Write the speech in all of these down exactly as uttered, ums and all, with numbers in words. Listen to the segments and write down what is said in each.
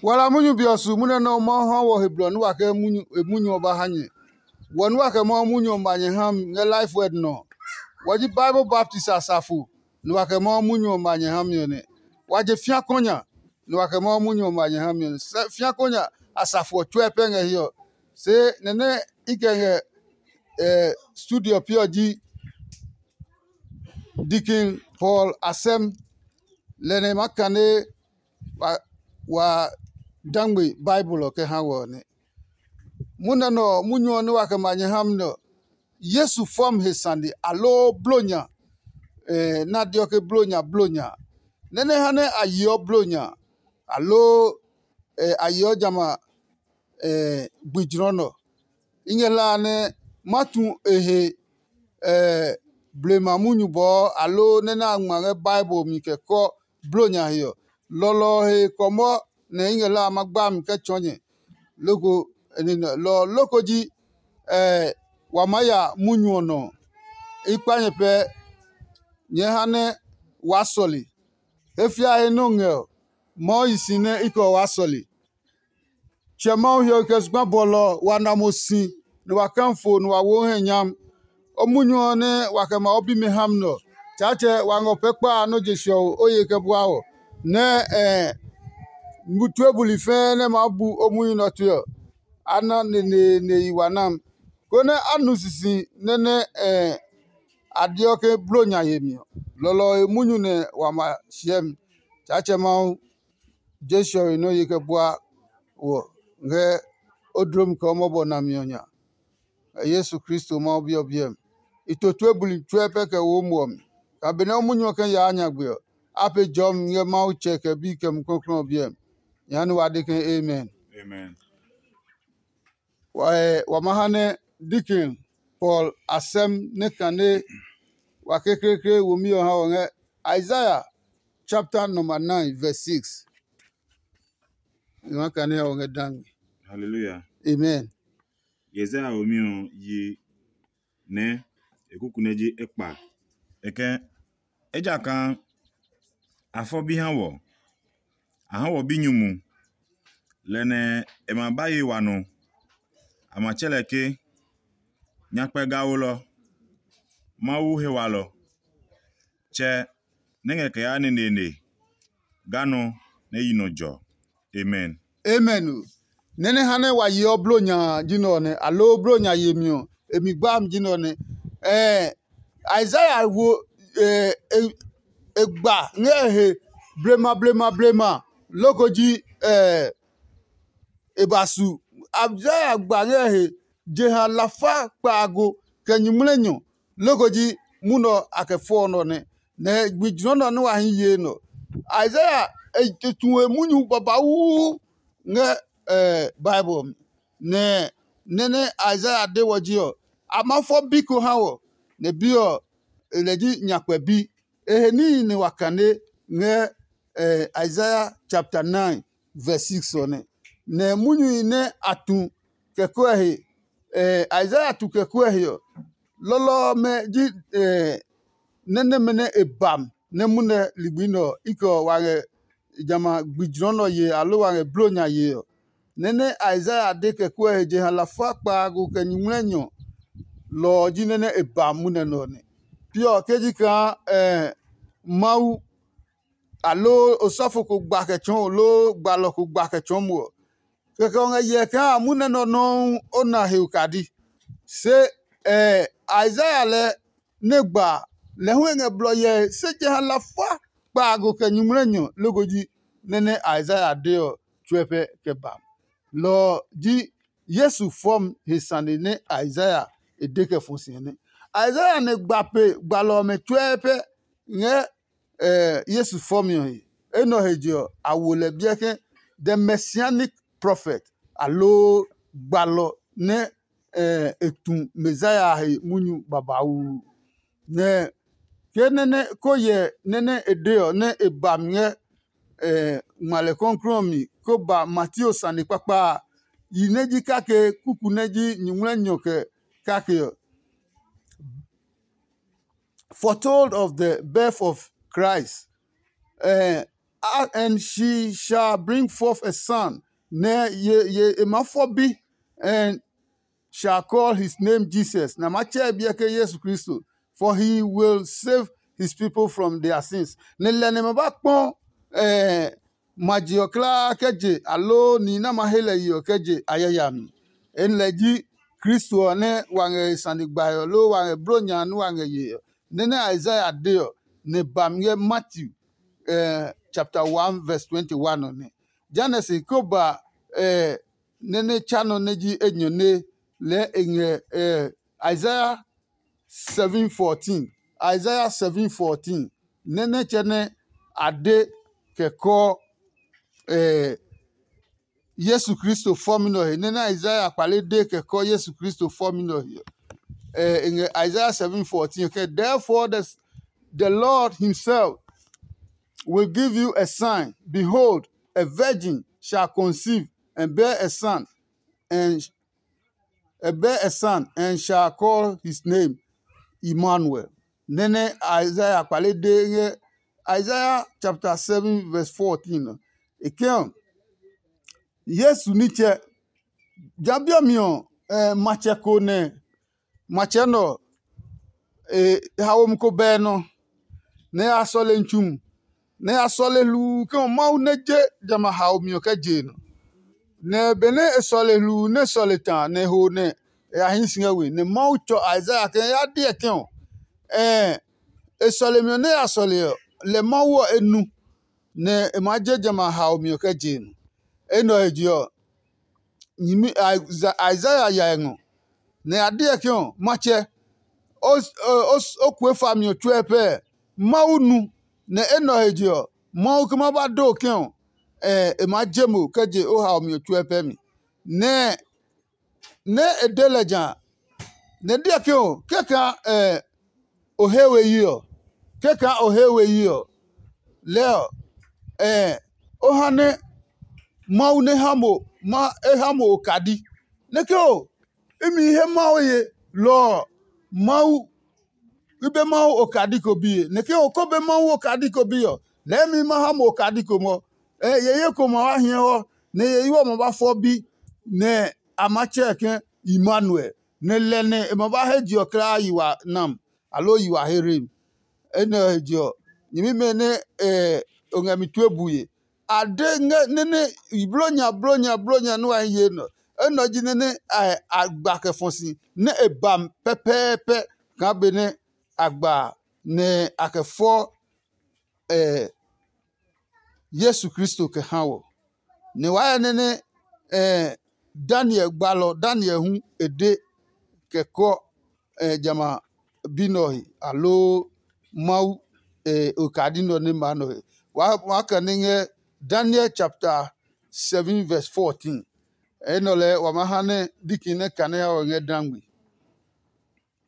Wala munyu be ɔ su munyu nɛ ɔ Mawu ha wɔ he blɔ nɛ wa kɛ munyu e munyu ɔ ba ha nyɛ. Wɔ nɛ wa kɛ Mawu munyu ɔ ma nyɛ ha mi ngɛ Lifeword nɔ ɔ. Wɔ ji Bible baptist a safo nɛ wa kɛ Mawu munyu ɔ ma nyɛ ha mi ɔ nɛ. Wa je fĩa kɔnya nɛ wa kɛ Mawu munyu ɔ ma nyɛ ha mi ɔ nɛ. Sɛ fĩa kɔnya a safo ɔ tsuɛ pɛ ngɛ hiɛ ɔ. Se nɛ nɛ i kɛ ngɛ eh, studio pi ɔ ji Deacon Paul Asɛm. Lɛ nɛ ma kane wa, wa dangbe Bible ɔ kɛ ha wɔ ɔ nɛ. Munɛ nɛ ɔ, munyu ɔ nɛ wa kɛ ma nyɛ ha mi nɛ ɔ, Yesu fɔm he sane aloo blonya, eh, nɛ a deɔ ke blonya blonya, nɛ nɛ ha nɛ a yeɔ blonya, aloo eh, a yeɔ jamɛ a eh, gbi jlɔ nɔ. I ngɛ hla a nɛ ma tu e he eh, blema munyu bɔɔ aloo nɛ nɛ a ngma ngɛ Bible mi kɛ kɔ blonya he ɔ. Lɔlɔ ɔ he kɔmɔ nɛ i ngɛ hla a ma gba mi kɛ tsɔɔ nyɛ. Loko lɔ loko ji eh, wa maa ya munyu ɔ nɔ. I kpa nyɛ pɛ nyɛɛ ha nɛ waa sɔle. He fiae nɛ o ngɛ ɔ, Mawu yi si nɛ i kɛ ɔ waa sɔle. Tsɛ Mawu hiɔwe kɛ zugba bɔlɔ ɔ, wa na mo si, nɛ wa kã fo, nɛ wa wo hɛ nyam. O munyu ɔ nɛ wa kɛ ma o bimɛ ha mi nɛ ɔ, Tsaatsɛ wa ngɔ pɛ kpa a nɔ́ je siɔwo o ye kɛ bua wɔ, nɛ ɛ tue buli fɛɛ nɛ maa bu o munyu nɛ ɔ tue ɔ, a na neneene yi wa nam, konɛ a nu sisi nɛ nɛ ɛ a deɔ ke blo nya yemi ɔ. Lɔlɔ ɔ he munyu nɛ wa ma hyɛ mi. Tsaatsɛ Mawu, je siɔwe nɛ o ye kɛ bua wɔ ngɛ o dlomi kɛ o mɔbɔ nami ɔ nya. Ngɛ Yesu Kristo Mawu Bi ɔ biɛ mi. I to tue buli tsuɛ pɛ kɛ wo muɔ mi. Kaa benɛ o munyu ɔ kɛ yaa nyagbe ɔ, a pe jɔmi ngɛ Mawu Tsɛ kɛ Bi kɛ Mumi Klɔuklɔu ɔ biɛ mi. Nyɛɛ ha nɛ wa de ke, Amen. Amen. Wa, wa ma ha nɛ Deacon Paul Asɛm nɛ kane wa kekleekle womi ɔ ha wɔ ngɛ Isaiah chapter number nine verse six. I ma kane ha wɔ ngɛ dangme. Hallelujah. Amen. Isaiah womi ɔ yi nɛ e kuku nɛ ji ekpa. E kɛ, ejakaa a fɔ bi ha wɔ, a ha wɔ binyumu, lɛ nɛ e ma ba ye wa nɔ. A ma tsɛ lɛ ke, Nyakpɛ Gawolɔ, Mawu he walɔ, Tsɛ nɛ ngɛ kɛ yaa neneene, ga nɔ nɛ yi nɔ jɔ. Amen. Amen o. Nɛ nɛ ha nɛ wa yeɔ blo nya a ji nɛ ɔ nɛ, aloo blo nya yemi ɔ, e mi gbaami ji nɛ ɔ nɛ. Ɛɛ Isaiah wo e e e gba ngɛ e he blema blema blema loko ji ɛɛ e ba su. Isaiah gba ngɛ e he jeha lafa kpaago kɛ nyuŋmlɛnyɔ loko ji munɔ a kɛ fɔɔ nɔ nɛ. Nɛ gbi jlɔ nɔ nɛ wa hi ye nɔ. Isaiah e tu e munyu babauu ngɛ Bible ɔ mi. Nɛ nɛ nɛ Isaiah de wɔ ji ɔ, a ma fɔ bi ko ha wɔ, nɛ bi ɔ, e lɛ ji nyakpɛ bi. E he níhi nɛ wa kane ngɛ Isaiah chapter nine verse six ɔ nɛ. Nɛ munyuhi nɛ a tu kɛkɔɛ he, Isaiah tu kɛkɔɛ he ɔ, lɔlɔ ɔmɛ ji nɛ nɛmɛ nɛ e ba mi nɛ munɛ ligbi nɛ ɔ, i kɛ ɔ wa ngɛ jamɛ a gbi jlɔ nɔ yee aloo wa ngɛ blo nya yee ɔ. Nɛ nɛ Isaiah de kɛkɔɛ he jeha lafa kpaago kɛ nyuŋmlɛnyɔ lɔ ɔ ji nɛ nɛ e ba munɛ nɛ ɔ nɛ. Pi ɔ ke ji kaa Mawu aloo osɔfo ko gba kɛ tsɔɔ o loo gbalɔ ko gba kɛ tsɔɔ mo ɔ, kɛkɛ ɔ ngɛ hyɛ kaa munɛ nɛ ɔ nɔuu o na he okadi. Se Isaiah lɛ nɛ gba a, lɛ hu e ngɛ blɔ hyɛ he, se jeha lafa kpaago kɛ nyuŋmlɛnyɔ loko ji nɛ nɛ Isaiah de ɔ tsuɛ pɛ kɛ ba. Lɔ ɔ ji Yesu fɔmi he sane nɛ Isaiah e de kɛ fɔ si ɔ nɛ. Isaiah nɛ gba pe gbalɔ ɔmɛ tsuɛ pɛ ngɛ Yesu fɔmi ɔ he. Enɛ ɔ he je ɔ, a wo lɛ biɛ ke the messianic prophet, aloo gbalɔ nɛ e tu Messiah a he munyu babauu. Nɛ ke nɛ nɛ ko hyɛ nɛ nɛ e de ɔ nɛ e ba mi ngɛ ngmale kɔklɔɔ ɔ mi ko ba Mateo sane kpakpa a, yi nɛ ji kake kuku nɛ ji nyuŋmlɛnyɔ kɛ kake ɔ. Foretold of the birth of Christ. Eh, and she shall bring forth a son, nɛ ye ye e maa fɔ bi, and shall call his name Jesus, nɛ a maa tsɛ e biɛ ke Yesu Kristo, for he will save his people from their sins. Nɛ lɛ nɛ ma ba kpɔ eh, ma je ɔ kulaa kɛ je, aloo nihi nɛ a ma he lɛ ye ɔ kɛ je a yayami. Enɛ lɛ ji Kristo ɔ nɛ wa ngɛ e sane gbae ɔ, loo wa ngɛ blo nya nɛ wa ngɛ ye ɔ, nɛ nɛ Isaiah de ɔ, nɛ ba mi ngɛ Matthew eh, chapter one verse twenty-one ɔ nɛ. Jehanɛ se ko ba eh, nɛ nɛ tsa nɔ nɛ ji enyɔne lɛɛ e ngɛ eh, Isaiah seven fourteen. Isaiah seven fourteen, nɛ nɛ tsɛ nɛ a de kɛ kɔ eh, Yesu Kristo fɔmi nɛ ɔ he, nɛ nɛ Isaiah kpale de kɛ kɔ Yesu Kristo fɔmi nɛ ɔ he. Eh, e ngɛ Isaiah seven fourteen ke, therefore the, the Lord himself will give you a sign. Behold, a virgin shall conceive and bear a son, and a bear a son, and shall call his name Emmanuel. Nɛ nɛ Isaiah kpale de ngɛ Isaiah chapter seven verse fourteen ɔ. E ke ɔ, Yesu nitsɛ, ja bi ɔ mi ɔ, eh, matsɛ ko nɛ matsɛ nɛ ɔ, e haomi ko bɛ nɔ, nɛ e ya sɔle ntsu mu, nɛ e ya sɔle hluu ke ɔ Mawu nɛ je jamɛ a haomi ɔ kɛ je e nɔ. Nɛ benɛ e sɔle hluu nɛ e sɔle ta a, nɛ e ho nɛ e ya hii si ngɛ we, nɛ Mawu tsɔ Isaiah ke ya deɛ ke ɔ, ɛɛ e sɔlemi ɔ nɛ e ya sɔle ɔ, lɛ Mawu ɔ e nu, nɛ e maa je jamɛ a haomi ɔ kɛ je e nɔ. Enɛ ɔ he je ɔ, nyɛmi Isaiah ya ngɔ, nɛ a deɛ ke ɔ, matsɛ, o kue fami ɔ tsuɛ pɛɛ. Mawu nu, nɛ enɛ ɔ he je ɔ, Mawu ke ma ba do ke ɔ, e maa je mo kɛ je o haomi ɔ tsuɛ pɛ mi. Nɛ nɛ e de lɛ ja a, nɛ e deɛ ke ɔ, kɛkaa o he we yi ɔ, kɛkaa o he we yi ɔ, lɛɛ ɔ, o ha nɛ Mawu nɛ ha mo ma e ha mo okadi. Nɛ ke o, imi he Mawu ye, lɔ ɔ, Mawu i be Mawu okadi ko biye. Nɛ ke o ko be Mawu okadi ko bi ɔ, lɛɛ mi ma ha mo okadi ko mɔ. Yeye ko ma wa hiɛ hɔ, nɛ yeye ɔ ma ba fɔ bi, nɛ a ma tsɛɛ ke Immanuel, nɛ lɛ nɛ e ma ba he je ɔ kulaa yi wa nam, aloo yi wa hereemi. Enɛ ɔ he je ɔ, nyɛmimɛ nɛ o ngɛ mi tue bue, a de ngɛ nɛnɛ blonya blonya blonya nɛ wa hi ye nɔ. Enɛ ɔ ji nɛnɛ a gba kɛ fɔ si nɛ e ba mi pɛpɛɛpɛ kaa benɛ a gba a, nɛ a kɛ fɔ Yesu Kristo kɛ ha wɔ. Nɛ waa hyɛ nɛnɛ Daniel gbalɔ Daniel hu e de kɛ kɔ jamɛ a bi nɛ ɔ he, aloo Mawu okadi nɛ ɔ nɛ ma nɛ ɔ he. Waa kane ngɛ Daniel chapter seven verse fourteen. Enɛ ɔ lɛɛ wa maa ha nɛ diki nɛ kane ha wɔ ngɛ dangbe.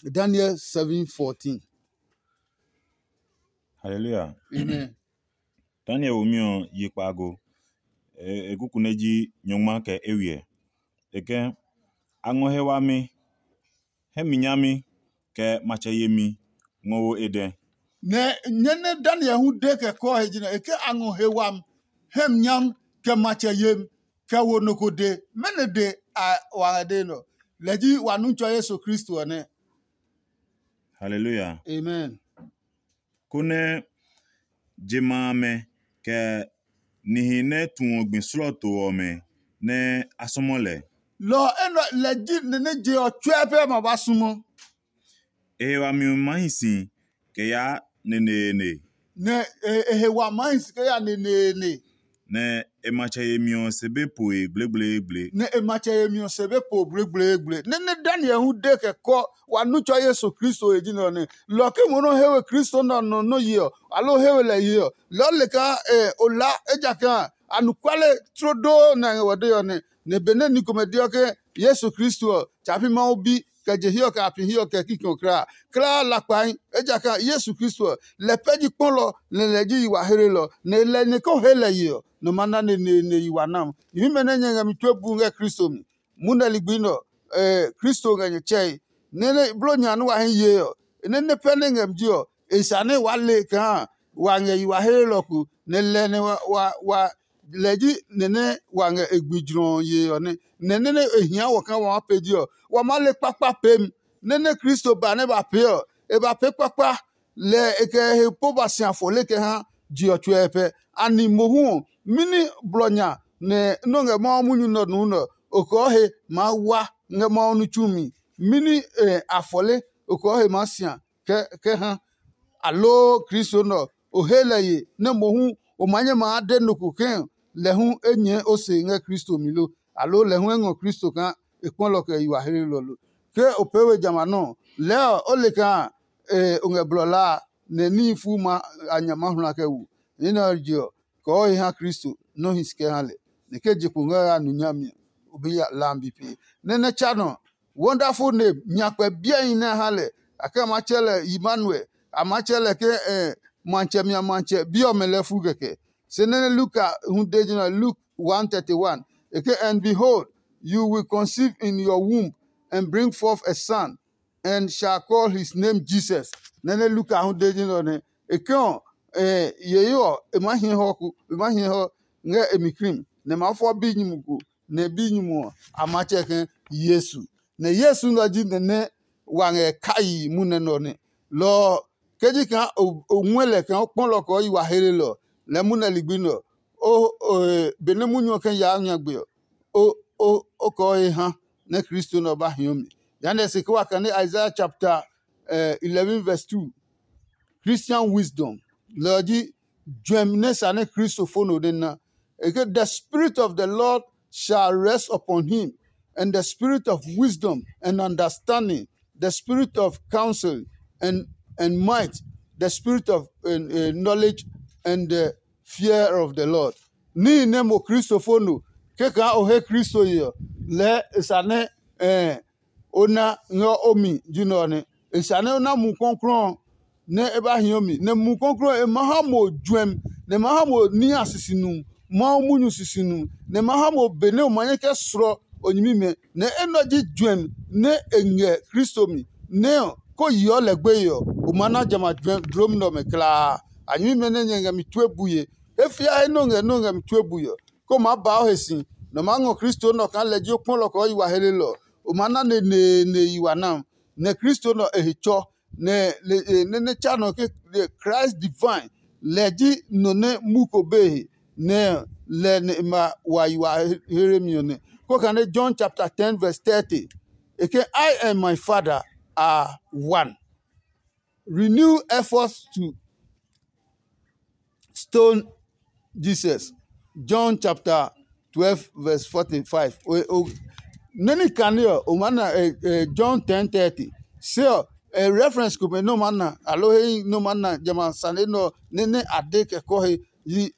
Daniel seven fourteen. Hallelujah. Amen. Daniel womi ɔ yi kpaago. E kuku nɛ ji nyɔngma kɛ ewiɛ. E ke, a ngɔ he wami, hɛ mi nyami, kɛ matsɛ yemi ngɔ wo e dɛ. Nɛ nyɛ nɛ Daniel hu de kɛ kɔɔ he ji nɛ e ke a ngɔ he wami, hɛ mi nyami, kɛ matsɛ yemi, kɛ wo nɔ ko de. Mɛnɔ de a wa ngɛ de nɔ? Lɛ ji wa nu tsɔ Yesu Kristo ɔ nɛ. Hallelujah. Amen. Konɛ je ma amɛ kɛ nihi nɛ tuɔ gbi slɔɔto ɔmɛ nɛ a sɔmɔ lɛ. Lɔ ɔ enɛ lɛ ji nɛ nɛ je ɔ tsuɛ pɛ ma ba sumɔ. E he wami ɔ ma hi si kɛ yaa neneene. Nɛ e he wa ma hi si kɛ ya neneene. Nɛ e matsɛ yemi ɔ se be poe gblegbleegble. Nɛ e matsɛ yemi ɔ se be po gblegbleegble. Nɛ nɛ Daniel hu de kɛ kɔ wa nu tsɔ Yesu Kristo he ji nɛ ɔ nɛ. Lɔ ke mo nɔ he we Kristo nɛ ɔ nɔ nɔ ye ɔ, aloo he we lɛ ye ɔ, lɔ le kaa o laa, ejakaa anɔkuale tlo doo nɛ a ngɛ wɔ dee ɔ nɛ. Nɛ benɛ ni komɛ deɔ ke Yesu Kristo ɔ, tsa pi Mawu bi, kɛ je hiɛ ɔ kɛ a pi hiɛ ɔ kɛ kikɛ ɔ kulaa. Kulaa lakpahi, ejakaa Yesu Kristo ɔ, lɛ pɛ ji kpɔlɔ, nɛ lɛ ji yi wa hlelɔ, nɛ lɛ nɛ ko he lɛ ye ɔ, nɔ ma na neneene yi wa nam. Nyɛmimɛ nɛ nyɛ ngɛ mi tue bu ngɛ Kristo mi, munɛ ligbi nɛ ɔ, Kristo ngɛ nyɛ tsɛe. Nɛ nɛ blo nya nɛ wa hi yee ɔ, nɛ nɛ pɛ nɛ ngɛ mi ji ɔ, e sane waa le kaa wa ngɛ yi wa he lelɔ ko, nɛ lɛ nɛ wa, wa, wa lɛ ji nɛ nɛ wa ngɛ e gbi jlɔ ɔ yee ɔ nɛ. Nɛ nɛ nɛ e hia wɔ kaa wa maa peji ɔ, wa maa le kpakpa peemi. Nɛ nɛ Kristo ba nɛ ba pee ɔ, e ba pee kpakpa, lɛ e kɛ he po ba si afɔle kɛ ha je ɔ tsuɛ pɛ. Ani mohu ɔ, mɛni blɔ nya nɛ nɔ́ ngɛ Mawu munyu nɛ ɔ nuu nɛ ɔ, okɔɔ he maa wa ngɛ Mawu ní tsumi? Mɛni afɔle okɔɔ he maa sia kɛ ha? Aloo Kristo nɛ ɔ, o he lɛ ye nɛ mohu o maa nyɛ maa de nɔ ko ke lɛ hu e nyɛɛ o se ngɛ Kristo mi lo? Aloo lɛ hu e ngɔ Kristo kaa e kpɔlɔ kɛ yi wa hlelɔ lo? Ke o pee we jamɛ a nɔ́ ɔ, lɛɛ ɔ, o le kaa o ngɛ blɔ laa a, nɛ níhi fuu ma a nya ma hla kɛ wu. Ní nɛ ɔ je ɔ, kɔɔ he ha Kristo nɛ o hi si kɛ ha lɛ, nɛ ke je kpo ngɛ ya nu nyami ɔ, o bi ya lambi pee. Nɛ nɛ tsa nɔ, wonderful name, nyakpɛ biɛhi nɛ a ha lɛ, a kɛ a maa tsɛ lɛ Emmanuel, a maa tsɛ lɛ ke matsɛmi a matsɛ bi ɔmɛ lɛɛ fu kɛkɛ. Se nɛ nɛ Luka hu de ji nɛ Luke one thirty-one, e ke, "And behold, you will conceive in your womb and bring forth a son, and shall call his name Jesus." Nɛ nɛ Luka hu de ji nɛ ɔ nɛ e ke ɔ, yeye ɔ e maa hiɛ hɔ ku, e maa hiɛ hɔ ngɛ e mi krim, nɛ e maa fɔ binyumu ko, nɛ binyumu ɔ a maa tsɛ ke Yesu. Nɛ Yesu nɛ ɔ ji nɛ nɛ wa ngɛ kayi munɛ nɛ ɔ nɛ. Lɔ ɔ, ke ji kaa o ngɔɛ lɛ kaa o kpɔ lɔ kɛ o yi wa he lelɔ ɔ, lɛɛ munɛ ligbi nɛ ɔ, benɛ munyu ɔ kɛ yaa nyagbe ɔ, o kɔɔ he ha nɛ Kristo nɛ ɔ ba hio mi. Jehanɛ se ke wa kane Isaiah chapter eleven verse two. Christian wisdom, lɛ ɔ ji juɛmi nɛ sa nɛ Kristo fo no nɛ na. E ke, "The Spirit of the Lord shall rest upon him, and the spirit of wisdom and understanding, the spirit of counsel and, and might, the spirit of uh, uh, knowledge and the fear of the Lord." Níhi nɛ mo Kristo fo no kɛkaa o he Kristo ye ɔ, lɛɛ e sa nɛ o na ngɛ o mi ji nɛ ɔ nɛ. E sa nɛ o na Mumi Klɔuklɔu ɔ nɛ e ba hio mi, nɛ Mumi Klɔuklɔu ɔ e ma ha mo juɛmi, nɛ e ma ha mo nihi a sisinu, Mawu munyu sisinu, nɛ e ma ha mo benɛ o ma nyɛ kɛ slɔ o nyɛmimɛ, nɛ enɛ ɔ ji juɛmi nɛ e ngɛ Kristo mi, nɛ ɔ, ko yeɔ lɛ gbeye ɔ, o ma na jamɛ a dlɔmi nɛ ɔmɛ kulaa. A nyɛmimɛ nɛ nyɛ ngɛ mi tue bue, he fiae nɛ o ngɛ nɛ o ngɛ mi tue bue ɔ, ko maa ba o he si, nɛ o maa ngɔ Kristo nɛ ɔ kaa lɛ ji o kpɔlɔ kɛ o yi wa he lelɔ ɔ, o maa na neneene yi wa nam. Nɛ Kristo nɛ ɔ e he tsɔ, nɛ nɛ nɛ tsa nɔ ke Christ divine, lɛ ji nɔ nɛ mu ko be he, nɛ lɛ nɛ e ma wa yi wa here mi ɔ nɛ. Ko kane John chapter ten verse thirty, e ke, "I and my Father are one." Renew efforts to stone Jesus. John chapter twelve verse forty-five. Nɛni kane ɔ, o maa na John ten thirty. Se ɔ, reference komɛ nɛ o maa na, aloo he nɛ o maa na jamɛ a sane nɛ ɔ nɛ nɛ a de kɛ kɔ he yi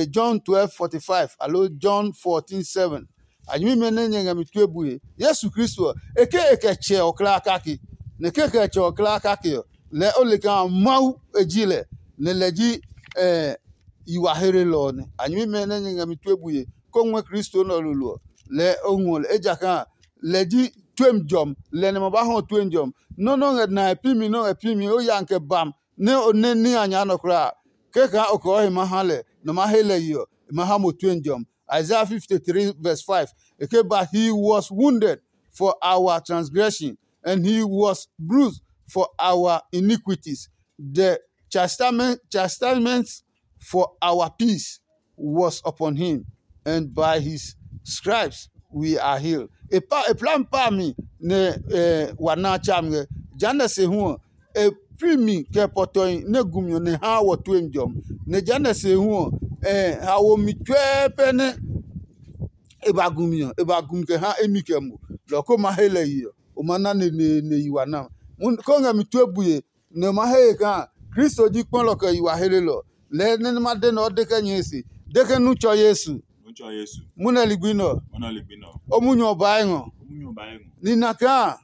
John twelve forty-five aloo John fourteen seven. A nyɛmimɛ nɛ nyɛ ngɛ mi tue bue. Yesu Kristo ɔ, e ke e kɛ Tsɛ ɔ kulaa kake, nɛ ke e kɛ Tsɛ ɔ kulaa kake ɔ, lɛɛ o le kaa Mawu e ji lɛ, nɛ lɛ ji yi wa hlelɔ ɔ nɛ. A nyɛmimɛ nɛ nyɛ ngɛ mi tue bue, kó ngɔɛ Kristo nɛ ɔ lolo ɔ, lɛɛ o ngɔ lɛ, ejakaa lɛ ji tuemi jɔmi, lɛ nɛ ma ba hɔ tuemi jɔmi. Nɔ́ nɛ o ngɛ nae pi mi nɛ o ngɛ pi mi, o ya kɛ bam nɛ o nɛ ní a nya nɔ kulaa. Kɛkaa o kɔɔ he ma ha lɛ, nɔ ma he lɛ yi ɔ, e ma ha mo tue jɔmi. Isaiah fifty-three verse five, e ke, "But he was wounded for our transgression, and he was bruised for our iniquities. The chastisement, chastisement for our peace was upon him, and by his stripes we are healed." E pa e plami pa mi nɛ wa na a tsa mi ngɛ. Jehanɛ se hu ɔ, e pi mi kɛ pɔtɔhi nɛ gumi ɔ nɛ haa wɔ tue mi jɔmi. Nɛ jehanɛ se hu ɔ, haomi tsuɛɛ pɛ nɛ e ba gumi ɔ, e ba gumi kɛ ha emi kɛ mo. Lɔ ko ma he lɛ yi ɔ, o ma na neneene yi wa na. Ko ngɛ mi tue bue, nɛ o ma he he kaa Kristo ji kpɔlɔ kɛ yi wa helelɔ. Lɛɛ nɛ ma de nɛ o de kɛ nyɛe se, de ke nu tsɔ Yesu. Munɛ ligbi nɛ ɔ, o munyu ɔ baa ngɔ. Nina kaa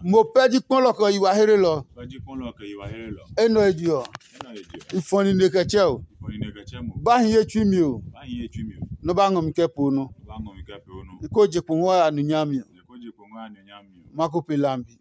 mo pɛ ji kpɔlɔ kɛ yi wa helelɔ. Enɛ ɔ je ɔ, i fɔ nine kɛ tsɛ o. Ba hi ye tsui mi o. Nɔ ba ngɔ mi kɛ po nɔ. I ko je kpo ngɔ ya nu nyami ɔ. Ma ko pe lambi.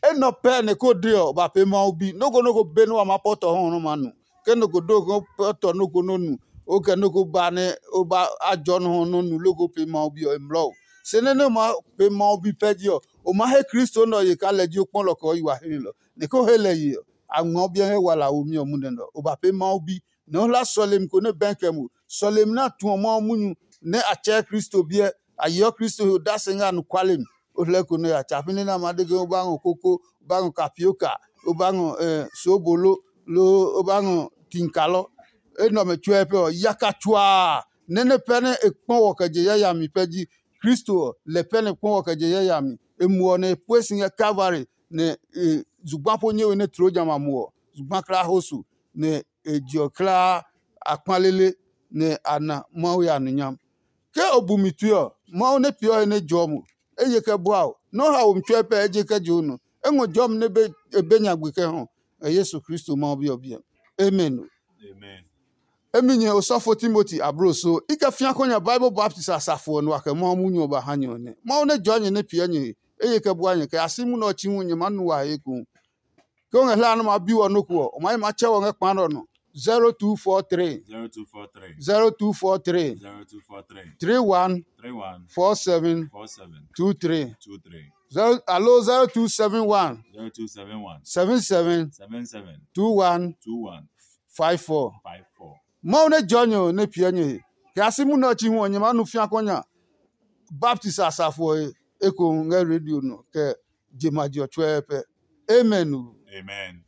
Enɛ ɔ pɛ nɛ ko de ɔ, ba pee Mawu bi. Nɔ́ ko nɔ́ ko be nɛ wa maa pɔtɔ hɔ nɛ ma nu. ke nɔ ko do ko pɛ tɔ nɔ ko nɔ nu, o kɛ nɔ ko ba nɛ o ba a jɔ nɔ hɔ nɔ nu loko pe Mawu bi ɔ e mlɔ o. Se nɛ nɛ o ma pe Mawu bi pɛ ji ɔ, o ma he Kristo nɛ ɔ ye kaa lɛ ji o kpɔlɔ kɛ o yi wa hlilɔ. Nɛ ko he lɛ ye ɔ, a ngmɛɔ biɛ ngɛ wala womi ɔ munɛ nɛ ɔ. O ba pe Mawu bi, nɛ o hla sɔlemi ko nɛ bɛɛ kɛ mo. Sɔlemi nɛ a tuɔ Mawu munyu nɛ a tsɛɛ Kristo biɛ, a yeɔ Kristo he odase ngɛ anɔkuale mi. O hlɛ ko nɛ ya tsa pi nɛ nɛ a ma de ke o ba ngɔ koko, o ba ngɔ kapioka, o ba ngɔ eh, soobolo, loo o ba ngɔ tinkalɔ. Enɛ ɔmɛ tsuɛ pɛ ɔ, yaka tsuaa nɛ nɛ pɛ nɛ e kpɔ wɔ kɛ je yayami pɛ ji Kristo ɔ, lɛ pɛ nɛ kpɔ wɔ kɛ je yayami. E muɔ nɛ e pue si ngɛ Kalvari, nɛ e zugba po nyɛe we nɛ tloo jamɛ a muɔ zugba kla ho su, nɛ e je ɔ klaa a kpalele, nɛ a na Mawu ya nonyam. Ke o bu mi tue ɔ, Mawu nɛ peeɔ he nɛ jɔɔ mo, eye kɛ bua o, nɔ́ ha wo mi tsuɛ pɛ eje kɛ je o nɔ. E ngɔ jɔmi nɛ e be nyagbe kɛ hɔ, ngɛ Yesu Kristo Mawu Bi ɔ biɛ. Amen. Emi nyɛ osɔfo Timoti abloso, i kɛ fia kɔ nya Bible baptist asafo ɔ nua kɛ Mawu munyu ɔ ba ha nyɛ ɔ nɛ. Mawu nɛ jɔɔ nyɛ nɛ piɛ nyɛ he, eye kɛ bua nyɛ kɛ ya si munɛ ɔ tsi hu nyɛ maa nu wa he ekohu. Ke o ngɛ hlaa nɛ o maa bi wɔ nɔ́ ko ɔ, o maa yi maa tsɛ wɔ ngɛ kpa nɛ ɔ nɔ. zero two four three zero two four three zero two four three zero two four three three one three one four seven four seven two three two three zero alo zero two seven one zero two seven one seven seven seven seven two one two one five four. Five four. Mawu nɛ jɔ nyɛ ɔ nɛ piɛ nyɛ he. Kɛ a si munɛ ɔ tsi hu ɔ, nyɛ maa nu fia kɔ nya baptist asafo ɔ he ekohu ngɛ radio nɔ kɛ je ma je ɔ tsuɛɛ pɛ. Amen. Amen.